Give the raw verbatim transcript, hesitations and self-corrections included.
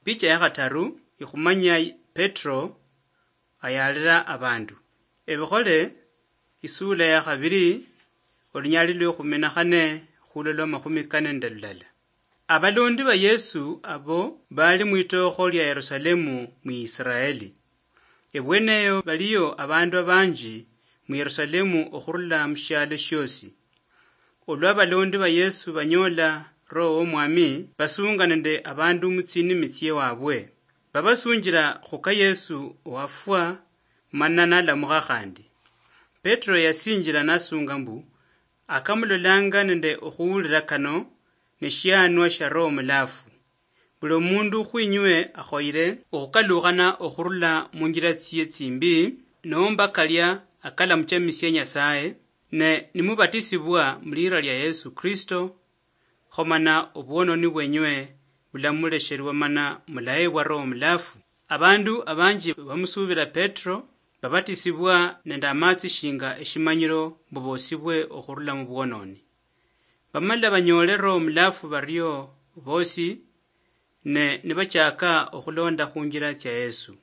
Picha ya khataru ikhumanya Petro ayaalira abandu. Ebikhole, isuula ya khabiri, olunyali lwe khume na khane khulwa lwa makhumi kane nende lulala. Abalondi ba Yesu abo bali mwitookho lia Yerusalemu mu Israeli. Ebweneyo baliyo abandu abanji mu Yerusalemu okhurula mu shialo shiosi. Olwa abalondi ba Yesu banyoola Roho w'Omwami, basunga nende abandu mu tsinimi tsiewabwe. Babasunjila khuka Yesu owafwa mana nalamukha khandi. Petro yasinjila nasunga mbu, akamulolanga nende okhuwulila kano ne shianwa shia Roho Mulafu. Buli omundu khwinywe akhoyile okhukalukhana okhurula munjila tsiye tsimbi, nomba kalia akalamuchamisia Nyasaye, ne nimubatisibwa mulira lia Yesu Kristo, kho mana obwononi bwenywe bulamulesherwa mana mulahebwa Roho Mulafu. Abandu abanji bamusubila Petro babatisibwa nende amatsi shinga eshimanyiro mbu bosibwe okhurula mubwononi. Bamala banyoole Roho Mulafu bario bosi, ne nibachaka okhulonda khunjila tsia Yesu.